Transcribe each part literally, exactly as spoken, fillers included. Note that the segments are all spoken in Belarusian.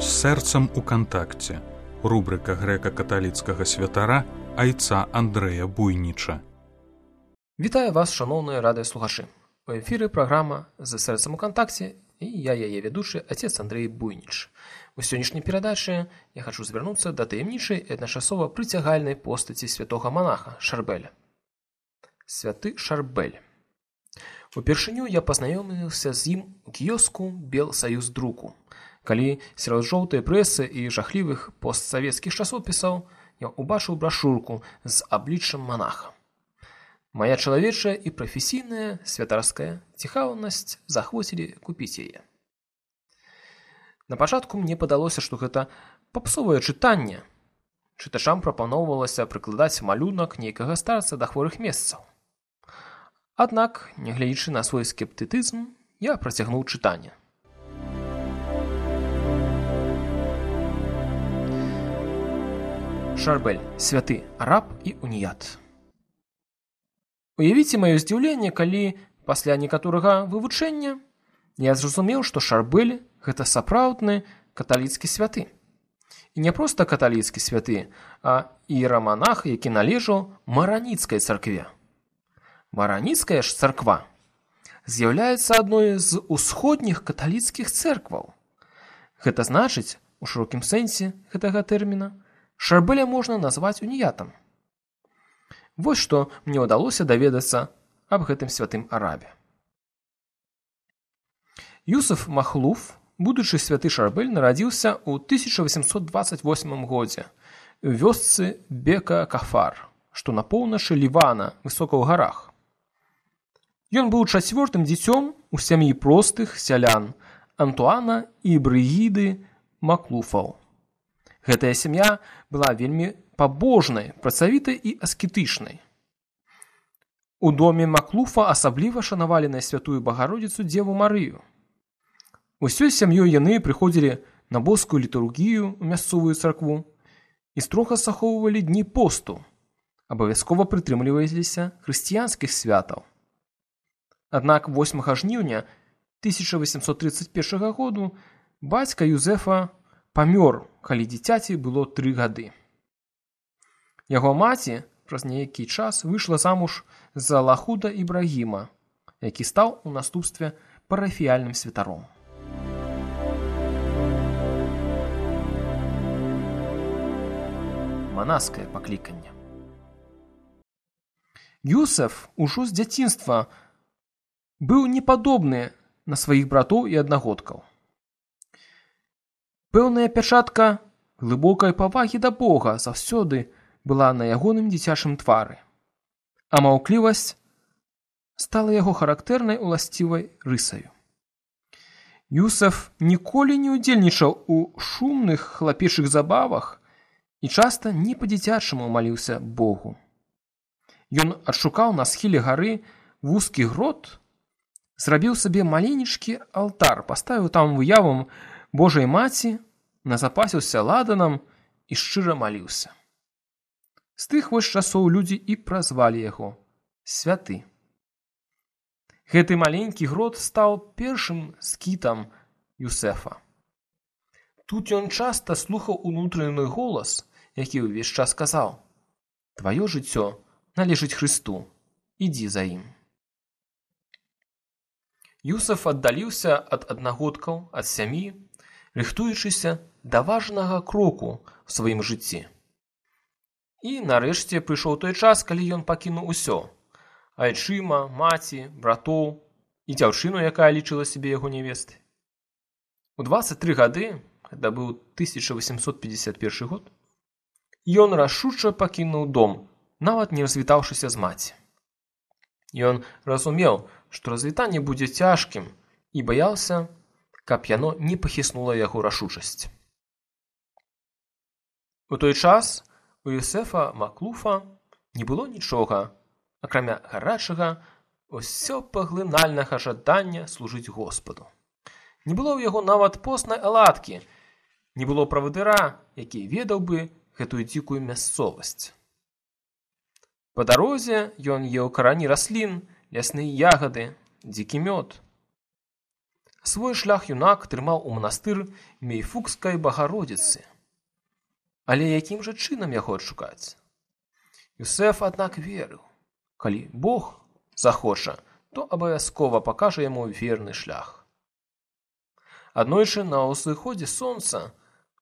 З сэрцам у кантакце. Рубрика грэка-каталіцкага святара айца Андрэя Буйніча. Вітаю вас, шановные радыёслухачы. У эфіры праграма «З сэрцам у кантакце» і я яе ведучы отец Андрей Буйніч. У сённяшняй перадачы я хочу звярнуцца да таямнічай і адначасова прыцягальнай постаці святога манаха Шарбэля. Святы Шарбэль. Упершыню я пазнаёміўся з ім у кіёску Белсаюздруку, калі сярод жоўтай прэсы і жахлівых постсавецкіх часопісаў я ўбачыў брашурку з абліччам манаха. Мая чалавечая і прафесійная святарская цікаўнасць захвоцілі купіць яе. На пачатку мне падалося, што гэта папсовае чытанне. Чытачам прапаноўвалася прыкладаць малюнак нейкага старца да хворых месцаў. Аднак, нягледзячы на свой скептыцызм, я працягнуў чытанне. Шарбэль, святы араб і уніят. Уявіце маё здзіўленне, калі пасля некаторага вывучэння я зразумеў, што Шарбэль – гэта сапраўдны каталіцкі святы. І не проста каталіцкі святы, а іераманах, які належаў мараніцкай царкве. Мараніцкая ж царква з'яўляецца адной з усходніх каталіцкіх цэркваў. Гэта значыць, у шырокім сэнсе гэтага тэрміна, Шарбэля можна назваць уніятам. Вось што мне ўдалося даведацца аб гэтым святым арабе. Юсуф Махлуф, будучы святы Шарбэль, нарадзіўся ў тысяча васемсот дваццаць восьмым годзе ў вёсцы Бека-Кафар, што на поўначы Лівана, высока ў гарах. Ён быў чацвёртым дзіцём у сям'і простых сялян Антуана і Брыгіды Маклуфаў. Гэтая сям'я была вельмі пабожнай, працавітай і аскетычнай. У доме Маклуфа асабліва шанавалі на святую Багародзіцу Дзеву Марыю. Усёй сям'ёй яны прыходзілі на боскую літургію ў мясцовую царкву і строга захоўвалі дні посту, абавязкова прытрымліваліся хрысціянскіх святаў. Аднак восьмага жніўня тысяча васемсот трыццаць першага году бацька Юзефа памёр, калі дзіцяці было тры гады. Яго маці праз нейкі час выйшла замуж за Лахуда Ібрагіма, які стаў у наступстве парафіяльным святаром. Манаскае пакліканне. Юсеф ужо з дзяцінства быў непадобны на сваіх братоў і аднагодкаў. Пэўная пячатка глыбокай павагі да Бога заўсёды была на ягоным дзіцячым твары, а маўклівасць стала яго характэрнай уласцівай рысаю. Юсеф ніколі не ўдзельнічаў у шумных хлапечых забавах і часта не па-дзіцячаму маліўся Богу. Ён адшукаў на схіле гары вузкі грот, зрабіў сабе маленечкі алтар, паставіў там выявам Божай маці, назапасіўся ладанам і шчыра маліўся. З тых вось часоў людзі і празвалі яго святы. Гэты маленькі грот стаў першым скітам Юсефа. Тут ён часта слухаў унутраны голас, які ўвесь час казаў: «Тваё жыццё належыць Хрысту, ідзі за ім». Юсеф аддаліўся ад аднагодкаў, ад сям'і, рыхтуючыся да важнага кроку ў сваім жыцці. І нарэшце прыйшоў той час, калі ён пакінуў усё: айчыма, маці, братоў і дзяўчыну, якая лічыла сябе яго нявестай. У дваццаць тры гады, гэта быў тысяча васемсот пятьдесят першы год, ён рашуча пакінуў дом, нават не развітаўшыся з маці. Ён разумеў, што развітанне будзе цяжкім, і баяўся, каб яно не пахіснула яго рашучасць. У той час у Юсефа Маклуфа не было нічога, акрамя гарачага, усё паглынальнага жадання служыць Господу. Не было ў яго нават постнай аладкі, не было правадыра, які ведаў бы гэтую дзікую мясцовасць. Па дарозе ён еў карані раслін, лясныя ягады, дзікі мёд. Свой шлях юнак трымаў у манастыр Мейфукскай Багародзіцы. Але якім жа чынам яго адшукаць? Юсэф, аднак, верыў, калі Бог захоча, то абавязкова пакажа яму верны шлях. Аднойчы на ўзыходзе сонца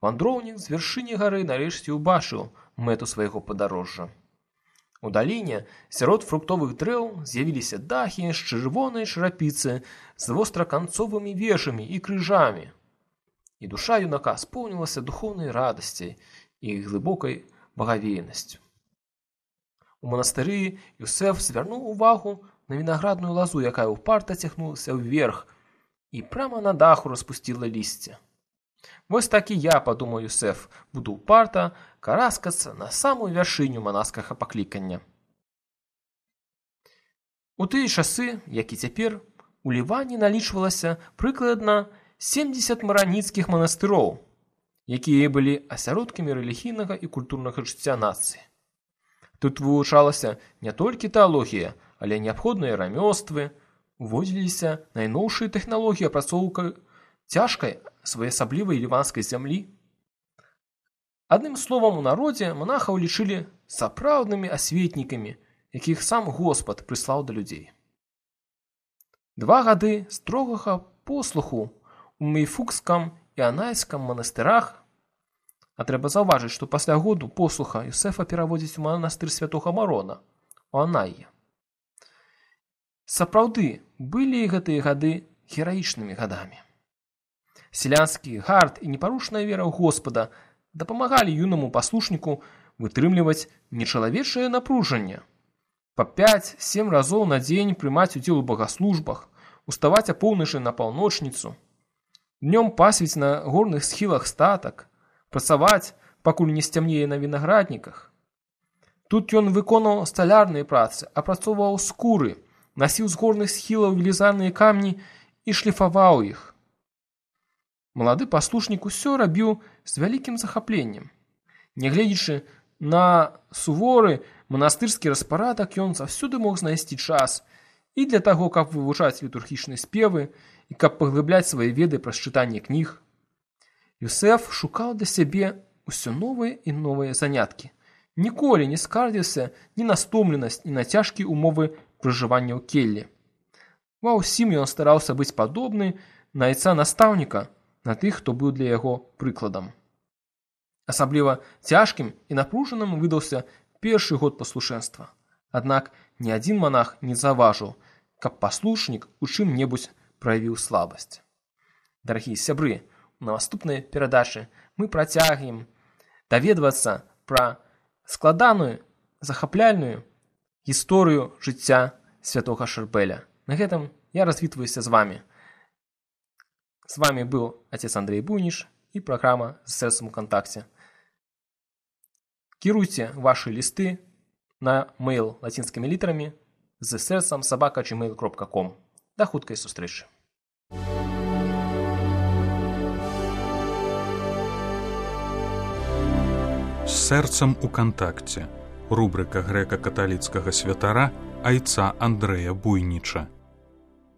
вандроўнік з вяршыні гары нарэшце ўбачыў мэту свайго падарожжа. У даліне сярод фруктовых дрэў з'явіліся дахі з чырвонай чарапіцы з востраканцовымі вежамі і крыжамі. І душа юнака споўнілася духоўнай радасцяй і глыбокай багавейнасцю. У манастыры Юсэф звярнуў увагу на вінаградную лазу, якая ўпарта цягнулася ўверх і прама на даху распусціла лісце. Вось так і я, падумаў Юсэф, буду ўпарта караскацца на самую вяршыню манаскага паклікання. У тыя часы, як і цяпер, у Ліване налічвалася прыкладна семдзесят мараніцкіх манастыроў, якія былі асяродкамі рэлігійнага і культурнага жыцця нацыі. Тут вывучалася не толькі тэалогія, але неабходныя рамёствы, уводзіліся найноўшыя тэхналогіі апрацоўкі цяжкай своеасаблівай ліванскай зямлі. Адным словам, у народзе монахаў лічылі сапраўднымі асветнікамі, якіх сам Господ прыслаў да людзей. Два гады строгага послуху у Мейфукскам і Анайскам манастырах, а трэба заўважыць, што пасля году послуха Юсэфа пераводзіць у манастыр святога Марона, у Анайе. Сапраўды, былі гэтыя гады гераічнымі гадамі. Селянскі гард і непарушная вера ў Господа дапамагалі юнаму паслушніку вытрымліваць нечалавечае напружанне. Па пяць-сем разоў на дзень прымаць удзел у багаслужбах, уставаць апоўначы на паўночніцу, днём пасвіць на горных схілах статак, працаваць, пакуль не сцямнее на вінаградніках. Тут ён выконаў сталярныя працы, апрацоўваў скуры, насіў з горных схілаў велізарныя камні і шліфаваў іх. Малады паслушнік усё рабіў з вялікім захапленнем. Нягледзячы на суворы манастырскі распарадак, ён заўсёды мог знайсці час і для таго, каб вывучаць літургічныя спевы і каб паглыбляць свае веды праз чытанне кніг. Юсэф шукаў для сябе ўсё новыя і новыя заняткі. Ніколі не скардзіўся ні на стомленасць, ні на цяжкія умовы пражывання ў келлі. Ва ўсім ён стараўся быць падобны на айца настаўніка, на тых, хто быў для яго прыкладам. Асабліва цяжкім і напружаным выдаўся першы год паслушэнства. Аднак ні адзін манах не заўважыў, каб паслушнік у чым-небудзь праявіў слабасць. Дарагія сябры, у наступнай перадачы мы працягнем даведвацца пра складаную, захапляльную гісторыю жыцця святога Шарбэля. На гэтым я развітваюся з вамі. З вамі быў отец Андрей Буйніш і праграма «З сэрцам у кантакце». Кіруйце вашы лісты на мэйл лацінскімі літарамі з сэрцам сабака джимейл кропка ком. Да хуткай сустрэчы. З сэрцам у кантакце. Рубрыка грэка-каталіцкага святара айца Андрэя Буйніча.